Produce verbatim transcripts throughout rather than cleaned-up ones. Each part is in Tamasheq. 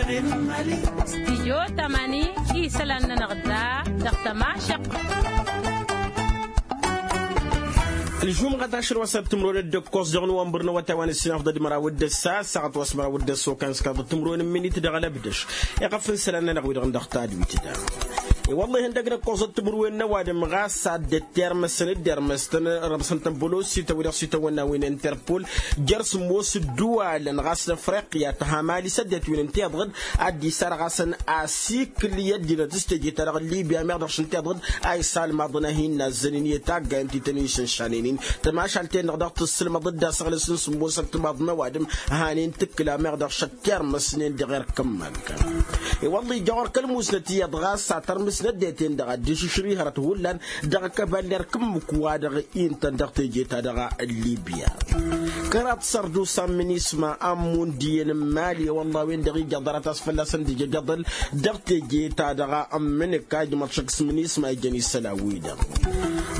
Stijyo tămani isălan-nănăɣ da dăɣ-tămašăɣt. Ǝlžumɣăt ašăl wa s-ad-tǝmrǝwăn d-ǝkkoẓ dăɣ-nowămbăr n-awătay wa n-ǝssinafḍăd măraw d-ǝssa ăssaɣăt wa s-măraw d-ǝssa okăyăn s-kaḍăt tǝmrǝwăn n-minit dăɣ-alăbdăš. Iɣăf n-isălan-nănăɣ wi-dăɣ n-dăɣ tadwit da. I-wălla-hi ăndăgg n-ǝkkoẓăt timǝrwen n-ăwadǝm ɣas ad-dd-tirmǝsăn dd-irmǝstăn rǝmsăn-tăn bălosităn wi-dăɣ s-itawănna wi n-interpol jer-sǝmmos ǝddǝwalăn ɣas n-afriqya tăhamali s-ăddinăt wi n-tiḍăɣ-dd ad-dd-isarɣasăn asikǝl i-ăddinăt s-teje-ta-dăɣ n-libya meɣ dăɣ-šăn tiḍăɣ-dd a isalmaḍăn a hin-nazzănen i-taggayăn ti tăn-išǝnšanen-in. Tămašalt-en-dăɣ dăɣ-tǝssǝlmăḍ dd-asăɣlăs n-sǝmmos ăttămaḍ n-ăwadǝm a hanen tǝkkǝla meɣ dăɣ-šăt tirmǝsnen dăɣ-erk ǝmmăgg. I-wălla-hi ija ɣur-kăl-musnăt iyyăḍ ɣas a tărmǝsnăt d-e-ten-dăɣ a dd-išǝšrǝy hărăt hullan dăɣ-kăbal n-erk ǝmmǝk wa-dăɣ intăn dăɣ-teje-ta-dăɣ n-libya. Kăraḍ sărdusa n-minisma a n-mundi i-inǝmmal i-wălla a-wen-dăɣ ija ḍarăt a-s fălla-săn d-ija ijăḍăl dăɣ-teje-ta-dăɣ n-imǝnǝk a ijmăḍ šăkk s-minisma ijăn isălan-wi-dăɣ.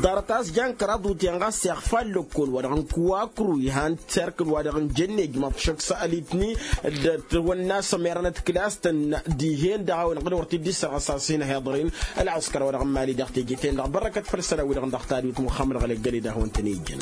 Ḍarăt a-s jan kăraḍ utyan ɣas iɣfa ăllăkkol wa-dăɣ n-kuwakru ihan terkǝl wa dăɣ-n jănne ijmăḍ šăkk s-alitni d-tawănna s-ămerănăt kǝlas-tăn dihen-dăɣ a-wen ɣǝd wăr t-dd-issărɣăs a-s hin-ăhiḍăr-in ălɣǝskăr wa dăɣ-n mali dăɣ-teje-ten-dăɣ bărrăkăt făll-isălan-wi-dăɣ n-dăɣ tadwit muxămmăd ɣălăggăled a hawăn-tăn-ijjăn.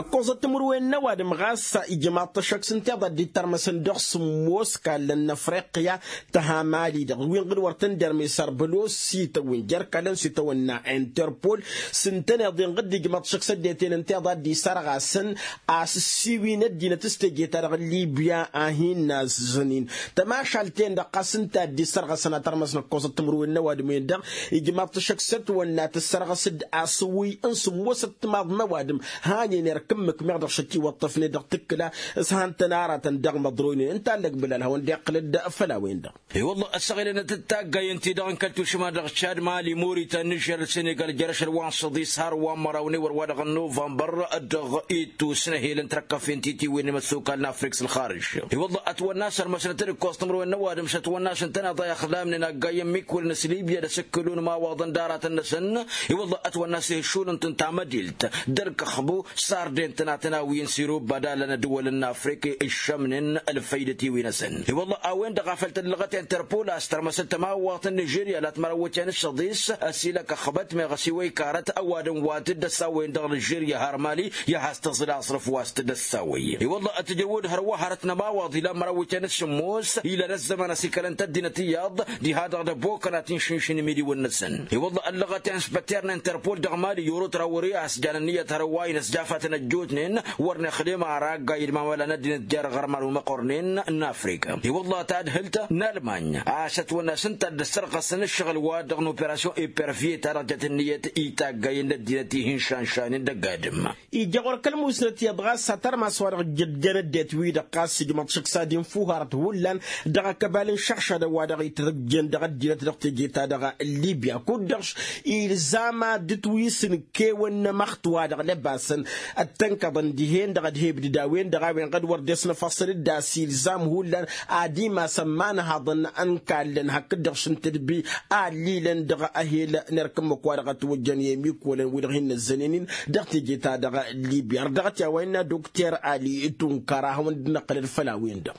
Ăkkoẓăt timǝrwen n-ăwadǝm ɣas ijmaḍ-t ăššăk s-ǝntiḍa dd-ittărmăsăn dăɣ-sǝmmos kallăn n-afriqya tăhamali-dăɣ wi n-ɣǝd wăr tăn-derme sărbălos s-itawǝn jer-kallăn s-itawănna interpol s-ǝntăneḍ-en ɣǝd ijmaḍ-t šăkk s-ăddinăt-en ǝntiḍa a dd-isărɣasăn a-s ǝssiwin ăddinăt s-teje-ta-dăɣ n-libya a hin-nazzănen tămašalt-en-dăɣ ɣas ǝnta a dd-isărɣasăn ad-tărmăsnăt ăkkoẓăt timǝrwen n-ăwadǝm-en-dăɣ ijmaḍ-t šăkk s-ătwănna tǝssărɣăs-dd asǝwǝy n-sǝmmos ăttămaḍ n-ăwadǝm hanen erk ǝmmǝk meɣ dăɣ-šăt iwăṭṭăfnen dăɣ-tǝkkǝla s-han-tăn aratăn dăɣ-imăḍroynen ǝnta a ăllăgbǝlal hawăn-dd-iqqǝlăd făll-a-wen-dăɣ. I-wălla ăssaɣǝlăn d-taggayăn-ti-dăɣ n-kăl-tušma dăɣ-čad mali moritan nižer d-senegal jer-ašăl wa n-săḍis har wa n-măraw n-ewăr wa dăɣ-novămbăr dăɣ-ittus n-ehel n-trăkkăfen titiwen n-imăssokal n-afrik s-ălxarǝž. I-wălla ătwănna a-s ărmăsnăt d-ǝkkoẓ timǝrwen n-ăwadǝm s-ătwănna a-s ǝntăneḍ a ixlamnen aggayyăn n-imikwǝlăn s-libya d-asǝkkǝlu n-imawaḍăn d-aratăn-năsăn. I-wălla ătwănna a-s ihǝššulăn-tăn tamădilt d-ălkăxbu sarden tănatănawi n-sirub ad-alăn ădwălăn n-afrik ǝššămnen ălfăydăt-i-wi-năsăn. I-wălla a-wen-dăɣ a făl tăllăɣăt interpol a-s tărmăsăt tămawwaɣt n-nižerya la t-mărăwwăt i-ad-nǝššăḍis ăsilăkăxbăt meɣ ăsiwăy karăt ăwadǝm wa t-dd-ăssawăyăn dăɣ-nižerya har mali i-ad-has-tǝẓǝl aẓrǝf wa s-t-dd-ăssawăy. I-wălla ătjăwwăd hărwa hărăt n-ămawwaḍ ila n-mărăwwăt i-ad-nǝššǝmmos ila n-ăzzăman ăsikălăn-t ăddinăt iyyăḍ diha-dăɣ d-ăbokăn ad-t-inšǝnšǝn imidiwăn-năsăn. I-wălla ăllăɣăt i-ad-inspăter n-interpol dăɣ-mali i-orot ra wăr-i a-s jan ǝnniyăt hărwa-in ăsjafat n-ăjjootnen wăr nǝxdem ara aggayyăn d-imawăla n-ăddinăt jer-iɣărman wi măqqornen n-afrika. I-wălla tadhǝlt n-almanya a-s ătwănna a-s ǝnta a dd-ăssărɣăsăn ǝššăɣǝl-wa-dăɣ n-operasyon ipervye-ta-dăɣ jăt ǝnniyăt i-taggayen n-ăddinăt ihǝnšanšanen dăgg-adǝm. Ija ɣur-kăl-musnăt iyyăḍ ɣas a tărmas wa-dăɣ ǝjjădden ăddinăt-wi-dăɣ ɣas ijmăḍ šăkk s-ad-infu harăt hullan dăɣ-akăbal n-išăɣšadăn wa dăɣ-itǝjjen dăɣ-ăddinăt dăɣ-teje-ta-dăɣ n-libya kud-dăɣ ilzam ad-dd-twisǝn kewăn n-emăxt wa dăɣ-lăbasăn ăttănkăḍăn dihen-dăɣ ad-he-ibdǝd a-wen-dăɣ a-wen ɣad wăr dd-esnăfăṣṣăl-dd a-s ilzam hullan ad-imasăn imanhaḍăn n-kallăn hakd-dăɣ šǝntǝdbi allilăn dăɣ-ehel n-erk ǝmmǝk wa dăɣ-ătwăjjăn i-emikwălăn wi-dăɣ hin-năzzănen-in dăɣ-teje-ta-dăɣ libya ărdăɣăt i-a-wa innă dokter ali tunkăr a hawăn-dd-năqqǝlăd făll-a-wen-dăɣ.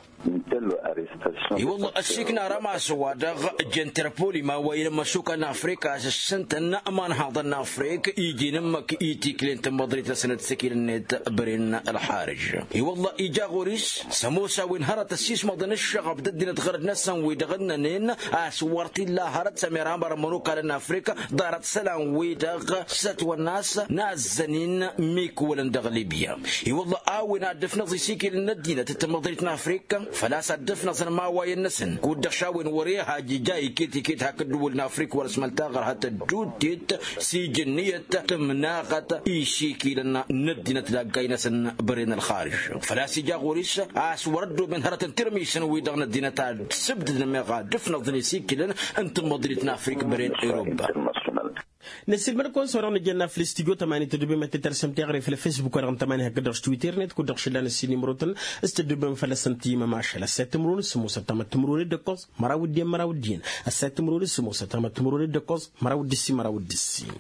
I-wălla ăssiikna rămas-wa-dăɣ j-interpol imawăyăn n-imăšukal n-afrika a-s ǝssǝntăn imanhaḍăn n-afrik iji n-ǝmmǝk i-tikli n-tǝmmăḍrit-năsăn d-sikil-net băren ălxarǝj. I-wălla ija ɣur-s s-ămoos a-wen hărăt ăssiismăḍăn ǝššăɣăb d-ăddinăt ɣărăd-năsăn wi-dăɣ ǝnnănen a-s wăr t-illa hărăt s-ămerham ărmănokal n-afrik ḍarăt isălan-wi-dăɣ s-ătwănna a-s nazzăn-in imikwǝlăn dăɣ-libya. I-wălla a-wen ad-dd-ǝfnăẓ isikilăn n-ăddinăt d-tamăḍrit n-afrika făl-a-s ad-dd-ǝfnăẓăn imawayăn-năsăn kud-dăɣ šawăn wăr-e-hajja iket-iket hakd ǝddǝwǝl n-afrik wăr-ăsmăl taɣărhăt ădduutit s-ija ǝnniyăt tǝmnaɣăt isikilăn n-ăddinăt d-aggay-năsăn băren ălxarǝj. Făl-a-s ija ɣur-s a-s wăr-ăddoben hărăt n-tirmisăn-wi-dăɣ n-ăddinăt ad-sǝbdǝdăn meɣ ad-ǝfnăẓăn isikilăn n-tamăḍrit n-afrik băren europa. Năsiilmăd-kăwăn s-wa-dăɣ nǝjănna făll-studyo tămani tăddoobem ad-t-tărsăm teɣăre făll-facebook-wa-dăɣ n-tămani hakd-dăɣ s-twitter-net kud-dăɣ šǝllan ăssiin imrotăn s-tăddoobem făll-asăn timămašal ăssayăt timǝrwen s-sămoosăt tamăt timǝrwen d-ǝkkoẓ măraw d-en măraw d-iyyăn ăssayăt timǝrwen s-sămoosăt tamăt timǝrwen d-ǝkkoẓ măraw d-ǝssin măraw d-ǝssin.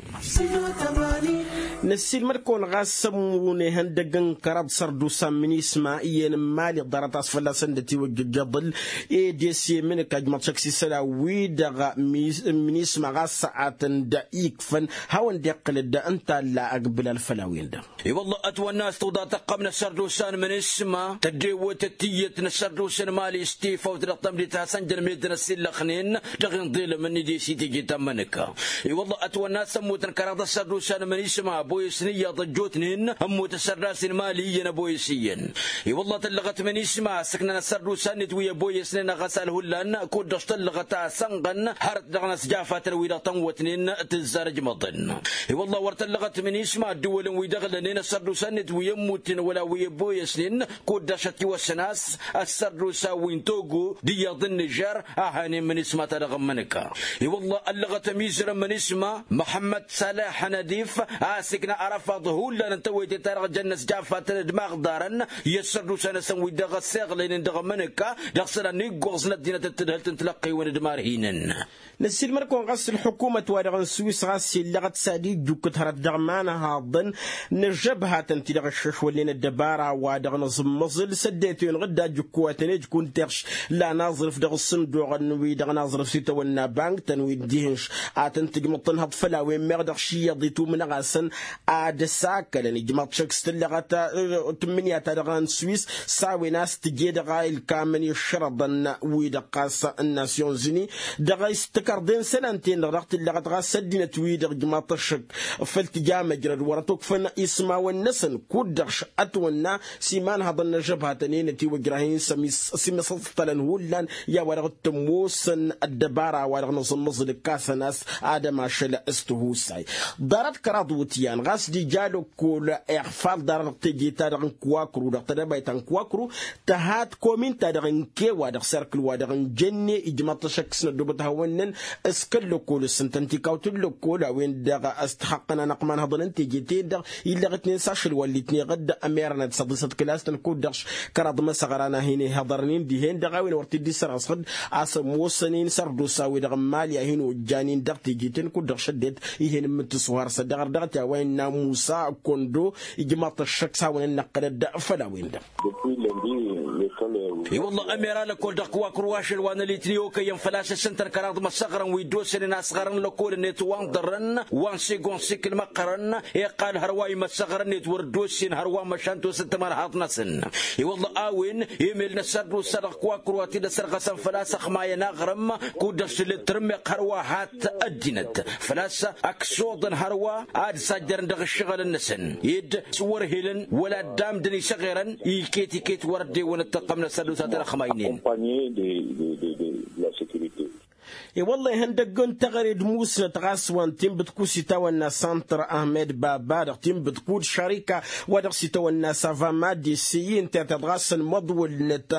Năssiilmăd-kăwăn ɣas ămmunen ihăndăgg n-kăraḍ sărdusa n-minisma iyyăn n-imali ḍarăt a-s fălla-săn dd-ătiwăjjăjăḍ-ǝl. Ed esem n-ǝkka ǝjmăḍ šăkk s-isălan wi-dăɣ n-minisma ɣas săɣatăn d-ikfăn hawăn-dd-iqqǝlăd ǝnta a ǝlla ăgbǝlal făll-a-wen-dăɣ. I-wălla ătwănna a-s tǝwḍa tăqqăm n-asărdusa n-minisma tăddewătăt tiyyăt n-asărdusa n-imali s-tifawt dăɣ-tămdit hasăn-jăn meddǝn ăsillăxnen dăɣ-inḍelăm-ni d-esi teje ta n-imănǝka. I-wălla ătwănna a-s ămmutăn kăraḍ asărdusa n-minisma ăboyăsnen iyyăḍ ăjjootnen ămmut asărdas n-imali iyyăn ăboyăs iyyăn. I-wălla tăllăɣăt minisma a-s ǝknăn asărdusa-net wi ăboyăsnen ăɣăsal hullan kud-dăɣ s-tăllăɣăt a-s ănɣăn hărăt dăɣ-inăsjafatăn wi-dăɣ tănwătnen tǝzzar ǝjmăḍăn. I-wălla wăr tăllăɣăt minisma ăddǝwălăn wi dăɣ-lănen asărdusa-net wi ămmutnen wăla wi ăboyăsnen kud-dăɣ s-ătiwăsăn a-s ăssărdusa wi n-togo d-iyyăḍ n-nižer a hanen minisma-ta-dăɣ n-imănǝka. I-wălla ăllăɣăt ămizărăn minisma măhămmăd saleh nadif a-s ikna arăfaḍ hullan n-tawăyte-ta-dăɣ jăn inăsjafatăn d-imaɣḍarăn i-ăssărdusa-năsăn wi dăɣ-ăssiɣlăynen dăɣ-imănǝka dăɣ-isălan n-iggoẓ n-ăddinăt d-tǝdhǝlt n-tilăqqewen d-imarhinen. Năssiilmăd-kăwăn ɣas ălḥukumăt-wa-dăɣ n-swis ɣas illăɣăt s-ad-ijjukkǝt hărăt dăɣ-imanhaḍăn n-ăžžăbhatăn-ti-dăɣ ǝššăšwălnen ăddăbara-wa-dăɣ n-aẓǝmmăẓǝl s-ăddinăt-wen-dăɣ dd-ajǝkkuwatăn ejkun tiɣš la n-aẓrǝf dăɣ-ǝssǝnduɣăn-wi-dăɣ n-aẓrǝf s-itawănna bank-tăn wi n-dihǝnš ad-tăn-tǝjmǝḍ tănhăḍ făll-a-wen meɣ dăɣ-išiyyăḍ itumǝnăɣ-asăn ad-ăsakălăn ijmaḍ šăkk s-tǝllăɣăt tǝmmǝnǝya-ta-dăɣ n-swis s-a-wen a-s tǝje dăɣ-a ilkamăn i-ǝššărăḍăn-wi-dăɣ ɣas n-nasyon-zǝni dăɣ-a-s tǝkărḍen isălan-ten-dăɣ dăɣ-tǝllăɣăt ɣas ăddinăt-wi-dăɣ ǝjmaḍ-t ăššăk făll-tǝja măjrăd wăr-ătokfăn ismawăn-năsăn kud-dăɣ š-ătwănna s-imanhăḍăn n-ăžžăbhatăn-en ătiwăjrah-in s-ămissăstălăn hullan i-a-wa-dăɣ t-ămoosăn ăddăbara-wa-dăɣ n-aẓǝmmăẓǝl ǝkkasăn a-s ad-ămašăl s-tihusay. Ḍarăt kăraḍ iwǝtyan ɣas d-ija lăkkol iɣfal ḍarăt dăɣ-teje-ta-dăɣ n-kǝwakru dăɣ-tedăbayt ta n-kǝwakru tǝha t-komin-ta-dăɣ n-kewa dăɣ-serkǝl-wa-dăɣ n-jenne ijmăḍ-t ăššăk s-năddobăt hawăn-năn s-kăl-lăkkol s-ǝntăn tikawt n-lăkkol a-wen-dăɣ s-tixăqqăn anăqman hăḍăn n-teje-ten-dăɣ illăɣ-itnen s-ašăl wa ǝllitneɣ-dd ămerănăt s-ăḍisăt kǝlas-tăn kud-dăɣ kăraḍ măsăɣra n-ad-hin-ihăḍărnen dihen-dăɣ a-wen wăr t-dd-isărɣăsăɣ-dd a-s ămoosănen sărdusa-wi-dăɣ n-mali a hin-ojjanen dăɣ-teje-ten kud-dăɣ šăddet ih'-en n-imǝttǝs wa har s-ăddăɣăr dăɣ-t i-a-wa innă musa kondo ijmaḍ-t ăššăk s-hawăn-ănnăqqălăd făll-a-wen-dăɣ. I-wălla ămera lăkkol dăɣ-kǝwakru ašăl wa n-ălitni okăyăn făl-a-s ǝssǝntăn kăraḍ măsăɣrăn wi dd-osănen asɣar n-lăkkol-net wa n-ḍărrăn wa n-sigon sikǝl măqqărăn iqqal hărwa imăsăɣrăn-net wăr dd-osen hărwa măšan tosăn timărhaḍt-năsăn. I-wălla a-wen emel n-ăssărdusa dăɣ-kǝwakru a t-dd-ăsărɣăsăn făl-a-s ăxmayăn aɣrǝm kud-dăɣ s-tǝllet tǝrǝmmeɣt hărwa hat ăddinăt făl-a-s ăksoḍăn hărwa ad-sajjărăn dăɣ-ǝššăɣǝlăn-năsăn ed s-wăr helăn wăla ăddaam d-ănisăɣerăn iket-iket wăr ăddewăn ăttăqqăm n-ăssărdusa tănăxmaynen. I-wălla ihăndăgg n-teɣăre d-musnăt ɣas wa n-tinbǝtku s-itawănna santăr ahmed baba dăɣ-tinbǝtku d-šarika wa dăɣ-s itawănna savama d-isiyi ǝnta i-tiḍ ɣas ălmăḍwǝlnăt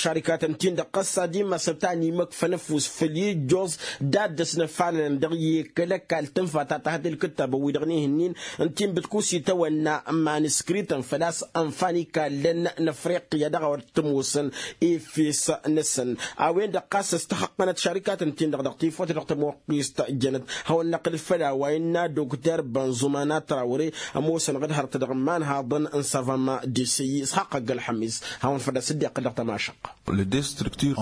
šarikatăn-tin-dăɣ ɣas ad-imasăl ta n-imăkfăn ăfuss făll-ijjoẓ d-ad-dăs-năfalălăn dăɣ-i kăl-ăkall tǝnfa ta tăhăt i-ǝlkǝttabăn-wi-dăɣ n-ihǝnnin n-tinbǝtku s-itawănna maniskrităn făl-a-s ănfan ikallăn n-afriqya dăɣ-a wăr t-ămoosăn efes-năsăn. A-wen-dăɣ ɣas ăstăxăqqănăt šarikatăn-tin-dăɣ dăɣ-tifawt dăɣ-tămoqqist jănăt hawăn-năqqǝl făll-a-wa innă dokter bănzumana trawre ămoosăn ɣǝd hărăt dăɣ-imanhaḍăn n-savama d-isǝyyi s-haqq ăgg-ălxămis hawăn-făl-a-s dd-iqqǝl dăɣ-tămašăqqa.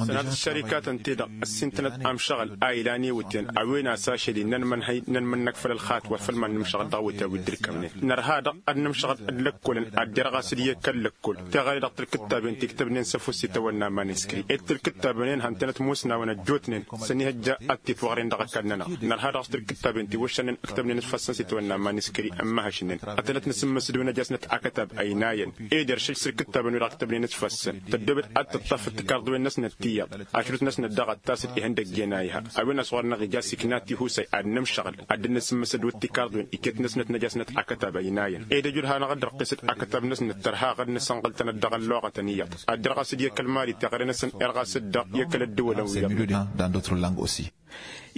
Sănatăt šărikatăn-te-dăɣ ăssintănăt amšăɣăl a ilan iwǝtyan a-wen a-s ašăl-i n-ănmănhăy n-ănmănnăk făll-ălxatwăr făll-iman n-amšăɣăl dăɣ-awǝtyan wi dd-ǝlkămnen nărha-dăɣ ad-nǝmšăɣăl d-lăkkolăn ad-derɣ a-s dd-iyyăk kăl-lăkkol teɣăre dăɣ-tilkǝttaben tiktăbnen s-ăfuss itawănna maniskri ed tilkǝttaben-en hantănăt musnawăn ăjjootnen s-ănihăjja ad-t-itwăɣren dăɣ-ăkall-nănăɣ nărha dăɣ-s tilkǝttaben tiwǝššănen ǝktăbnen s-făssăn s-itawănna maniskri ămmăhăšnen ătănăt n-asǝmmǝsǝd wi n-ăjasnăt akătab ăynayăn ed eršăj s-ilkǝttaben wi-dăɣ ǝktăbnen s-făssăn tăddoobet ad-tǝṭṭaf d-tikarḍwen-năsnăt tiyyăḍ ašrut-năsnăt daɣ ad-tasǝd ihăndăgg i-ănayha. A-wen a-s ɣur-năɣ ija s-ikna tihusa ad-nǝmšăɣǝl ad-dd-nǝsǝmmǝsăd wi t-tikarḍwen iket-năsnăt n-ăjasnăt akătab ăynayăn ed ăjud hanăɣ-dd-răqqes d-akătab-năsnăt tărha ɣǝd-nǝsănɣǝl-tăn-dd dăɣ-ălluɣătăn iyyăḍ ad-dd-răɣas d-i-kăl-mali teɣăre-năsăn irɣas-dd dăɣ-i-kăl-ăddǝwălăn wi-dăɣ. Dan d'autres langues aussi.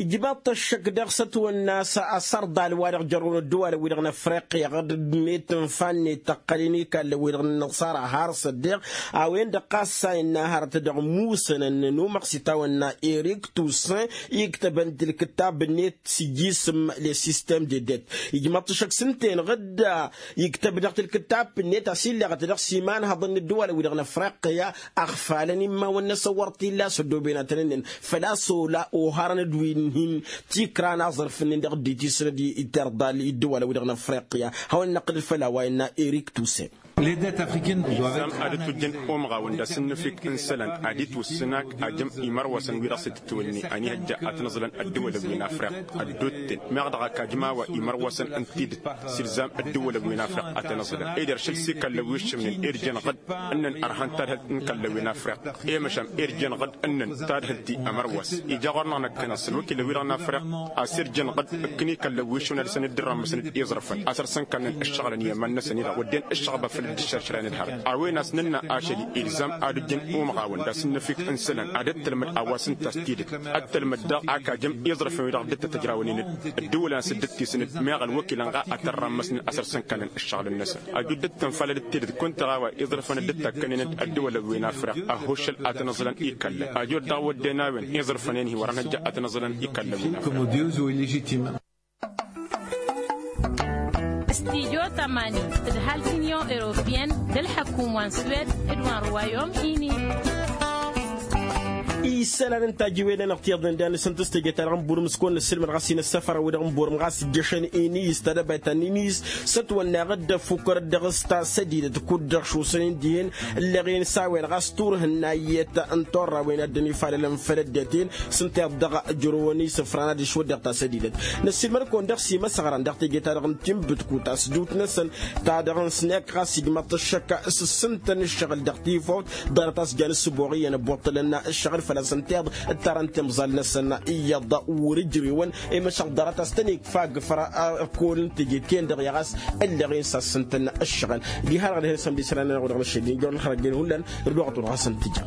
Ijmaḍ-t ăššăk daɣ s-ătwănna a-s ărḍal wa-dăɣ jărrăwăn ăddăwalăn-wi-dăɣ n-afriqya ɣǝd-net ǝnfa-net tăqqălăn ikallăn-wi-dăɣ n-inǝṣara har s-ăddeɣ a-wen-dăɣ ɣas a innă hărăt dăɣ-musănăn n-umăɣ s-itawănna erik tusen iktăbăn-t ǝlkǝttab-net s-ijisǝm les system de det. Ijmaḍ-t ăššăk s-ǝnta-en ɣǝd iktăb-dăɣ-t ǝlkǝttab-net a-s illeɣăt dăɣ-s imanhăḍăn n-ăddăwalăn-wi-dăɣ n-afriqya ăɣfalăn immawăn-năsăn wăr t-illa a-s ăddooben ad-tăn-ǝnnǝn făl-a-s ola oharăn-dd wi n-hin tikra n-aẓrǝf-nin dăɣ-dd-itisnăd i-tirḍal i-ăddăwalăn-wi-dăɣ n-afriqya. Hawăn-năqqǝlăd făll-a-wa innă erik tusen. Ilzam ad-dd-tujjăn umɣawăn d-asǝnnǝfik n-isălan ad-itwǝssǝn ak ajăm imărwăsăn wi dăɣ-s itǝtwǝnni ănihăjja ad-tăn-ǝẓlăn ăddăwălăn wi n-afriq ăddotten meɣ dăɣ-ak ajăm a-wa imărwăsăn ǝnta-i-dăɣ s-ilzam ăddăwălăn wi n-afriq ad-tăn-ǝẓlăn ed iršǝl s-ikallăn wi ǝššǝmnen irjăn ɣǝd ǝnnăn ărhăn tadhǝlt n-ikallăn wi n-afriq i-măšan irjăn ɣǝd ǝnnăn tadhǝlt-i ămărwăs ija ɣur-năɣ năkkăneḍ s-ălwăkilăn wi-dăɣ n-afriq a-s irjăn ɣǝd ǝkkǝn ikallăn wi ǝššǝwăn ad-săn dd-ărrămmăsnăd iẓrǝfăn a-s ărsăn kallăn ǝššăɣǝlăn i-iman-năsăn-i-dăɣ wădden ǝššăɣba făll-dd-ǝššăršălăn d-hărăt a-wen a-s nǝnna ašăl-i ilzam ad-ojjăn umɣawăn d-asǝnnăfik n-isălan ad-ăttălmăd a-wa s-ǝnta a-s tidǝt ăttălmăd daɣ ak ajăm iẓrǝfăn wi-dăɣ dd-tătăjrawăn-in-dd ăddăwălăn a-s dd-ăttisǝn d-meɣ ălwăkilăn ɣa ad-tărrămmăsnen a-s ărsăn kallăn ǝššăɣǝl-năsăn. Ăjud dd-tǝnfalăd d-tidǝt kunta ɣa a-wa iẓrǝfăn dd-takkănen-dd ăddăwălăn wi n-afriq ăhhuššăl ad-tăn-ǝẓlăn ikallăn ăjud daɣ wădden a-wen iẓrǝfăn-en-hi wăr-ănhăjja ad-tăn-ǝẓlăn ikallăn wi n-afriq. Studio tămani d-hal t-unyon europeyăn d-ălḥăkum wa n-swed d-wa n-ruwayom ini. Isălan n-tajiwen-anăɣ tiyyăḍnen d-anǝsǝntǝs teje-ta-dăɣ n-burǝm s-kăwăn-nǝssǝlmăd ɣas inǝssăfărăn-wi-dăɣ n-burǝm ɣas ǝjjăšăn ini-s tadăbayt ta n-ini-s s-ătwănna iɣǝddăf ukărăt dăɣ-s ta sădidăt kud-dăɣ šusăn-in dihen ǝlleɣ-in s-a-wen ɣas turhǝnna iyyăt n-turrawen a dd-ănifalălăn făll-ăddinăt-in s-ǝnta iyyăḍ dăɣ-ǝjrǝwăn isǝfran ad-išwăddeɣ ta sădidăt. Năssiilmăd-kăwăn dăɣ-s imăsăɣran dăɣ-teje-ta-dăɣ n-tinbǝtkut a-s dut-năsăn ta dăɣ-nǝsnăk ɣas ijmăḍ-t ǝššăk s-ǝssǝntăn ǝššăɣǝl dăɣ-tifawt ḍarăt a-s jan ǝssǝboɣ iyyăn ăbbuṭṭălăn ǝššăɣǝl făl-a-s ǝnta iyyăḍ ǝttarăn timẓal-năsăn iyyăḍ wăr-ǝjrǝwăn i-măšăɣ ḍarăt a-s tăn-ikfa agǝfăr ăkol n-teje-t-en-dăɣ i-ɣas ǝlleɣ-in s-a-s ǝssǝntăn ǝššăɣǝl. Diha-dăɣ dăɣ-hin-sămd isălan-nănăɣ wa dăɣ-năššăl d-injăwăn ălxărăt-en hullan d-dăɣ-wa tăwăḍ ɣas ǝntǝja.